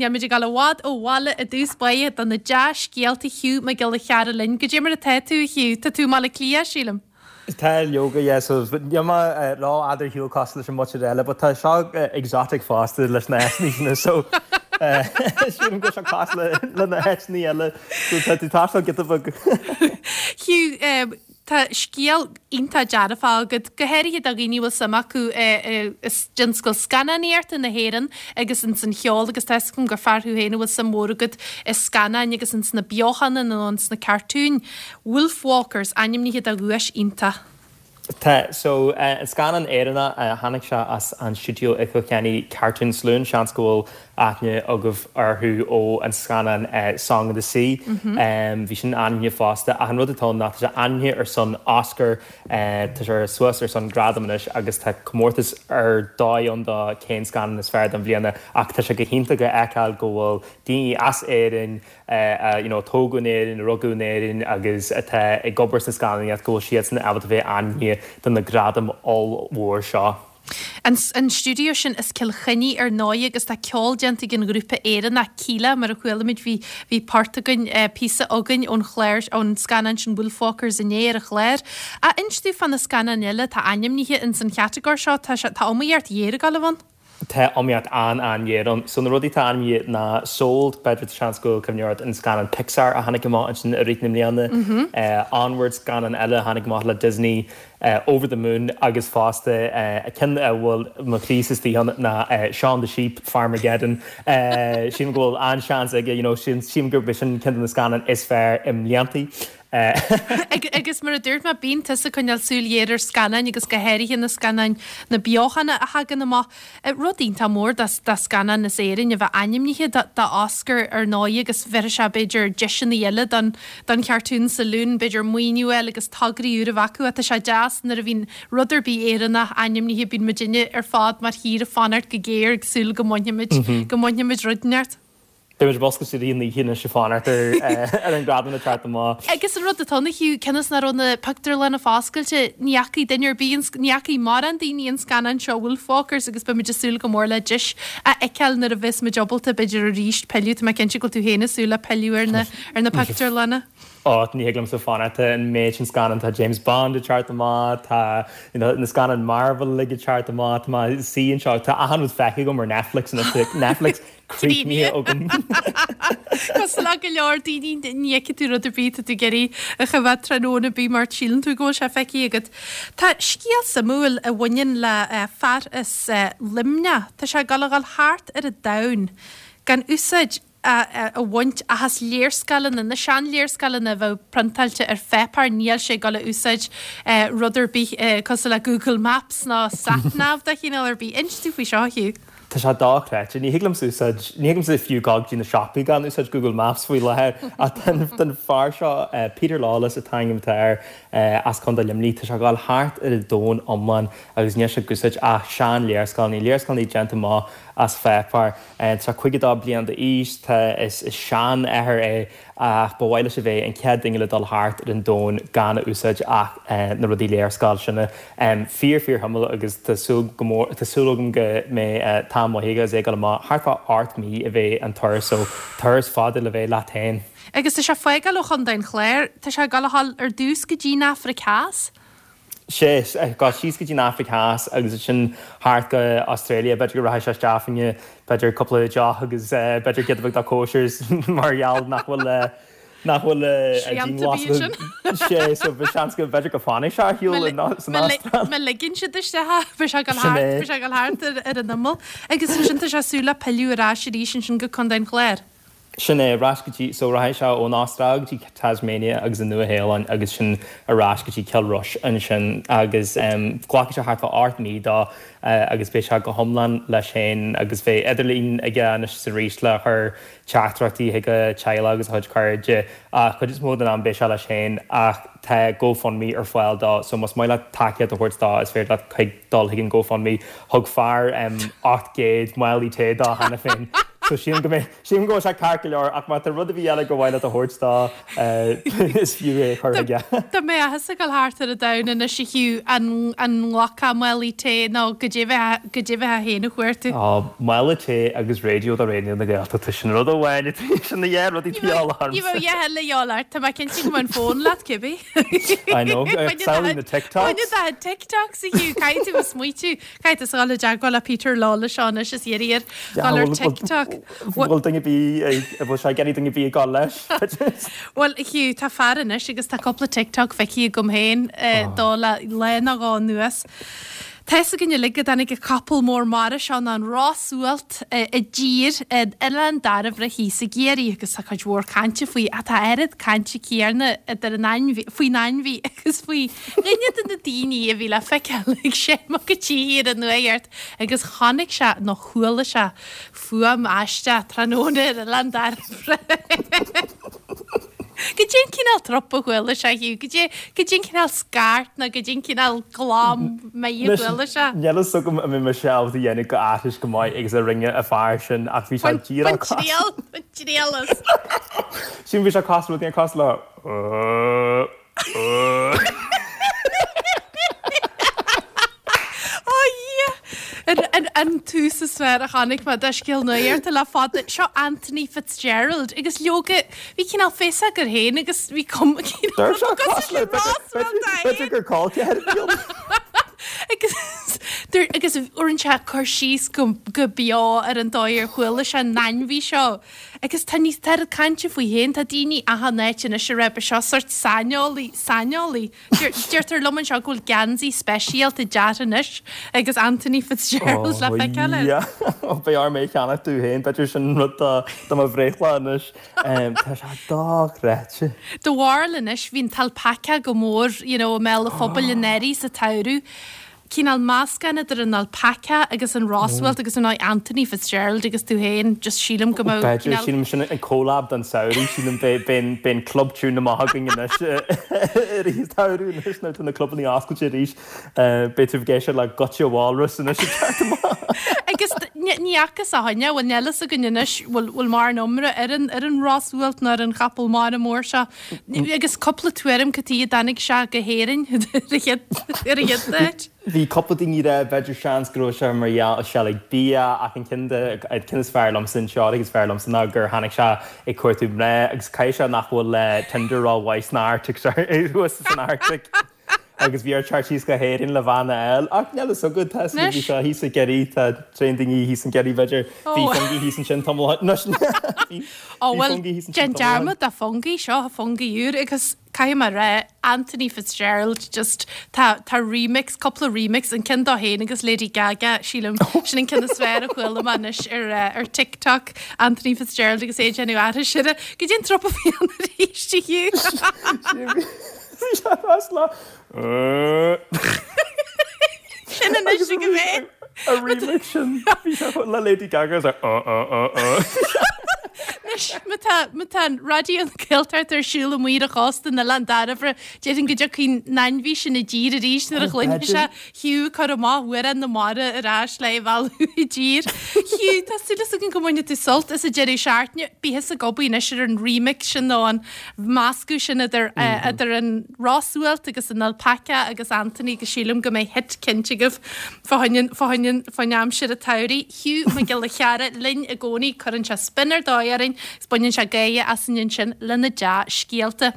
Níl muid ag dul i bhfad ó bhaile i dtús báire do na dea-scéalta Hugh Mac Giolla Chearra linn. Goidé mar atá tú, a Hugh? Tá tú i mBaile Átha Cliath, sílim. Tá leoga, yeah, so níl mé rófhada ar shiúl cosúil leis an muintir eile, but tá seo exotic fosta leis na háiteanna sin, so sílim go bhfuil seo cosúil le na háiteanna eile, so tá tú ag taisteal giota beag. Hugh, tá scéal iontach dearfach agat, go háirithe do dhaoine a bhfuil suim acu i dtionscal scannánaíochta na hÉireann agus ins an cheol agus tá 'fhios agam gur fear thú féin a bhfuil suim mhór agat i scannáin agus ins na beochana nó ins na cartúin. Wolfwalkers, ainmnithe do dhuais iontach. Tá, so, an scannán Éireannach, tháinig sé as an stiúideo i gCill Chainnigh, Cartoon Saloon, seans go bhfuil aithne agaibh orthu ó an scannán Song of the Sea, bhí sin ainmnithe fosta, ach an rud atá ann ná tá sé ainmnithe ar son Oscar, tá sé suas ar son gradam anois agus tá comórtas ar dóigh ann do cén scannán is fearr don bhliana ach tá sé go hiontach a fheiceáil go bhfuil daoine as Éirinn, a you know a tógadh in Éirinn, a rugadh in Éirinn agus atá ag obair sna scannánaíocht go bhfuil siadsan ábalta bheith ainmnithe do na gradaim ollmhór seo. An stiúideo sin as Cill Chainnigh ar ndóigh agus tá ceol déanta ag an ghrúpa Éireannach Kíla mar a chuala muid bhí bhí port againn píosa againn ón chlár ón scannán sin Wolfwalkers inné ar an chlár. Ach inis dúinn fá na scannáin eile atá ainmnithe ins an chatagóir seo tá sé tá iomaíocht ghéar ag dul a bheith ann. Tá iomaíocht an-an-ghéar ann. So na rudaí atá ainmnithe ná Sold, b'fhéidir tá seans go bhfuil cuimhne ort an scannán Pixar a tháinig amach ansin i rith na mbliana, Onward, scannán eile a tháinig amach le Disney, Over the Moon agus fosta ceann a bhfuil mo chroí-sa istigh ann ná Shaun the Sheep, Farmageddon. Sílim go bhfuil an-seans aige, you know, sílim gurb é sin ceann de na scannáin is fearr i mbliantaí. Agus mar a dúirt mé, bíonn tusa ag coinneáil súil ghéar ar scannáin agus go háirithe na scannáin, na beochana a thagann amach. Rud iontach mór do scannán as Éirinn a bheith ainmnithe do Oscar ar ndóigh agus bhéarfaidh sé b'fhéidir deiseanna eile don don Chartoon Saloon, b'fhéidir maoiniú a fháil agus tograí úra a bheith acu. Tá sé deas nuair a bhíonn rud ar bith Éireannach ainmnithe, bíonn muidinne ar fad mar thír ag fanacht go géar ag súil go mbainfimid, go mbainfimid rud inteacht. Beidh muid ag oscailt i rith na hoíche anois ag fanacht ar an gradam le teacht amach. Agus an rud atá ann, a Hugh, cionn is nach raibh na pictiúrlanna foscailte, ní fhacaigh duine ar bith, ní fhacaigh mórán daoine an scannán seo, Wolfwalkers, agus beidh muid ag súil go mór le deis a fheiceáil nuair a bheas muid ábalta, b'fhéidir arís, pilleadh, tá mé cinnte go bhfuil tú féin ag súil le pilleadh ar na, ar na pictiúrlanna. Ó, ní thig liomsa fanacht, tá an méid sin scannán, tá James Bond ag teacht amach, tá you know na scannáin Marvel uilig ag teacht amach, tá mé ag suí anseo, tá achan rud feicthe agam ar Netflix anois, Netflix críochnaithe agam. Cosúil le go leor daoine, ní fheicfidh tú rud ar bith atá tú ag iarraidh a choimhéad tráthnóna ar bith mar síleann tú go bhfuil sé feicthe agat. Tá scéal suimiúil a bhaineann le fear as Luimneach. Tá sé ag dul a dhul thart ar an domhan gan úsáid a bhaint ach as léarscáileanna, na seanléarscáileanna a bheadh priontáilte ar pháipéar, níl sé ag dul a úsáid rud ar bith cosúil le Google Maps ná Sat Nav de chineál ar bith. Inis dúinn faoi seo, a Hugh. Tá sé dochreidte. Ní thig liomsa úsáid, ní thig liomsa fiú gabháil go dtí na siopaí gan úsáid Google Maps faoi láthair. Ach tá an fear seo, Peter Lawless an t-ainm atá air, as Contae Luimnigh, tá sé ag gabháil thart ar an domhan iomlán agus níl sé ag úsáid ach sean-léarscáileanna, léarscáileanna déanta amach as pháipéar. Tá sé 52 bliain d'aois, tá, is seanathair é Ach ba mhaith leis a bheith an chéad duine le dul thart ar an domhan gan a úsáid ach na rudaí léarscáil sin. Fíor fíor shuimiúil agus tá súil go mór, tá súil agam go mbeidh t-am maith aige agus é ag dul amach. Thart fá 8 mí a bheidh an turas so turas fada le bheith leat féin. Agus tá sé ag fágáil ó Chontae an Chláir, tá sé ag dul a dhul ar dtús go dtí an Afraic Theas. Sea, ag dul síos go dtí an Afraic Theas agus ansin thart go Australia, b'fhéidir go rachaidh sé isteach fá choinne b'fhéidir cúpla deoch agus b'fhéidir giota beag dá cóisir mar gheall nach bhfuil nach bhfuil dianghlasáil. Sea, so bhí seans go b'fhéidir go bhfanfaidh sé ar shiúl san Astráil. Má ligeann siad isteach é, beidh sé ag dul thart, beidh sé ag dul thart ar an imeall. Agus ansin tá sé ag súil le pilleadh ar ais arís ansin go Contae an Chláir. Sin é, ar ais go dtí, so rachaidh sé ón Astráil go dtí Tasmania agus an Nua-Shéalainn agus sin ar ais go dtí Cill Rois ansin agus glacfaidh sé thart fá 8 mí dó agus beidh sé go hiomlán leis féin agus beidh idirlíon aige anois is arís le cur teachtaireachtaí chuig a teaghlach agus a chuid cairde ach cuid is mó den am beidh sé leis féin ach tá GoFundMe ar fáil dó so más maith leat tacaíocht a thabhairt dó is féidir leat chuig dul chuig an GoFundMe. Thug fear 800 málaí tae dó cheana féin. So sílim go mbeidh, sílim go bhfuil sé ceart go leor ach má tá rud ar bith eile gur mhaith leat a thabhairt dó, is fiú é a chur chuige. Dá mbeifeása ag dul thart ar an domhan anois a Hugh, an nglacfá málaí tae nó goidé goidé a bheifeá féin a chuartú? Ó, mála tae agus raidió do Raidió na Gaeltachta, sin rud amháin atá, sin na dhá rudaí atá de dhíobháil ormsa. Ní bheadh a dhath eile de dhíobháil ort, tá mé cinnte go mbeadh an fón leat cibé. I know, samhlaigh na TikToks. Bain do chuid TikToks a Hugh, caithfidh tú a smaoitiú. Caithfidh tusa dhul i dteagmháil le Peter Lawless seo anois is iarraidh air dhul ar TikTok. Bhfuil duine ar bith, bhfuil sé ag iarraidh duine ar bith ag dul leis? Bhuel, a Hugh, tá fear anois agus tá cúpla TikTok feicthe agam féin dó le lá nó dhó anuas. Tá fhios againn uilig go dtáinig an capall mór mara seo nó an ros-sualt i dtír in Oileán Dairbhre thíos i gCiarraí agus tá cuid mhór cainte faoi ach tá oiread cainte céarna idir an ainmhí, faoin ainmhí agus faoi Duine de na daoine a bhí le feiceáil ag seinm a gcuid tithe ar an nuacht agus chonaic sé nó chuala sé fuaim aisteach tráthnóna ar Oileán Dairbhre. Goidé an cineál trup a chuala sé, Hugh? Goidé, goidé an cineál scairt nó goidé an cineál glam méith a chuala sé? Níl fhios agam an mbeidh mise ábalta a dhéanamh go aithris go maith agus a rinne an fear sin ach bhí sé díreach cosúil. Bain triail, bain triail as. Sílim bhí sé cosúil, rud éigin cosúil le. Ó Dhia! An tús is fearr a chonaic mé do scéal nuachta le fada. Seo Anthony Fitzgerald agus leoga bhí cineál féasóg air féin agus bhí cuma cineál cosúil le B'fhéidir gur caillte ar an Agus agus rinne sé cur síos go beo ar an dóigh ar chuala sé an ainmhí seo. Agus tá níos tá oiread cainte faoi féin, tá daoine achan áit anois ag rá ba seo sórt saineolaí, saineolaí. Deirtear liom anseo go bhfuil geansaí speisialta deartha anois agus Anthony Fitzgerald le feiceáil air. Oh yeah, beidh orm é a cheannach domh féin, b'fhéidir sin rud do do mo bhreithlá anois. Tá sé dochreidte. Do bharúil anois, bhí an t-alpaca go mór, you know, i mbéal an phobail anuraidh sa tsamhradh. Cineál meascán idir an alpaca agus an rosualt agus ar ndóigh Anthony Fitzgerald agus tú féin, just sílim go mbeadh B'fhéidir, cineál. sílim sin an collab don samhradh, sílim beidh beidh an club tune amach againn anois i rith an tsamhraidh anois nuair atá na clubanna oscailte arís. Beidh tú ag éisteacht le Goitse Walrus anois ag teacht amach. Agus ní fhacthas ó shin é, bhuel níl fhios againn anois bhfuil bhfuil mórán iomrá ar an ar an rosualt nó ar an chapall mara mór seo. Agus cúpla tuairim cad chuige a dtáinig sé go hÉirinn ar an chéad áit. Bhí cúpla daoine ag rá b'fhéidir seans go raibh sé mar gheall ag seilg bia ach an ceann de an ceann is fearr liomsa an teoiric is fearr liomsa ná gur tháinig sé ag cuartú mná agus caithfidh sé nach bhfuil Tinder rómhaith san Arctic thuas san Arctic. Agus bhí air teacht síos go hÉirinn le bean a fháil. Ach níl fhios agat, tá fhios bhí sé thíos i gCiarraí, tá tréan daoine thíos in Ciarraí, b'fhéidir. Bhí Fungie thíos ansin tamall ó shin. Bhí Ó bhuel, Fungie thíos ansin déan tamall ó shin. dearmad de Fungie, seo Fungie úr agus caithfidh mé a rá, Anthony Fitzgerald, just tá, tá remix, cúpla remix, an ceann dó féin agus Lady Gaga, sílim, sin an ceann is fearr a chuala mé anois ar, ar TikTok, Anthony Fitzgerald agus é ag déanamh aithris air. Goidé an trup a bhí ann arís, a Hugh? Bhí sé as le. Sin anois ag a bheith. A remix sin, bhí sé le Lady Gaga is uh uh uh uh. Anois, má tá, má tá an Raidió na Gaeltachta ar siúl amuigh ar an chósta in Oileán Dairbhre, déarfainn go dtiocfaidh an ainmhí sin i dtír arís nuair a chluinfidh sé Hugh ag cur amach Amhrán na Mara ar ais le é a mhealladh i dtír. Hugh, tá súil againn go mbainfidh tú sult as an deireadh seachtaine. Bí thusa ag obair anois ar an remix sin nó an meascadh sin idir idir an rosualt agus an alpaca agus Anthony agus sílim go mbeidh hit cinnte agaibh fá choinne fá choinne fán aimsir an tsamhraidh. Hugh Mac Giolla Chearra linn i gcónaí, cuireann sé spin ar dóigh orainn agus baineann sé gáire asainn ansin lena dea-scéalta.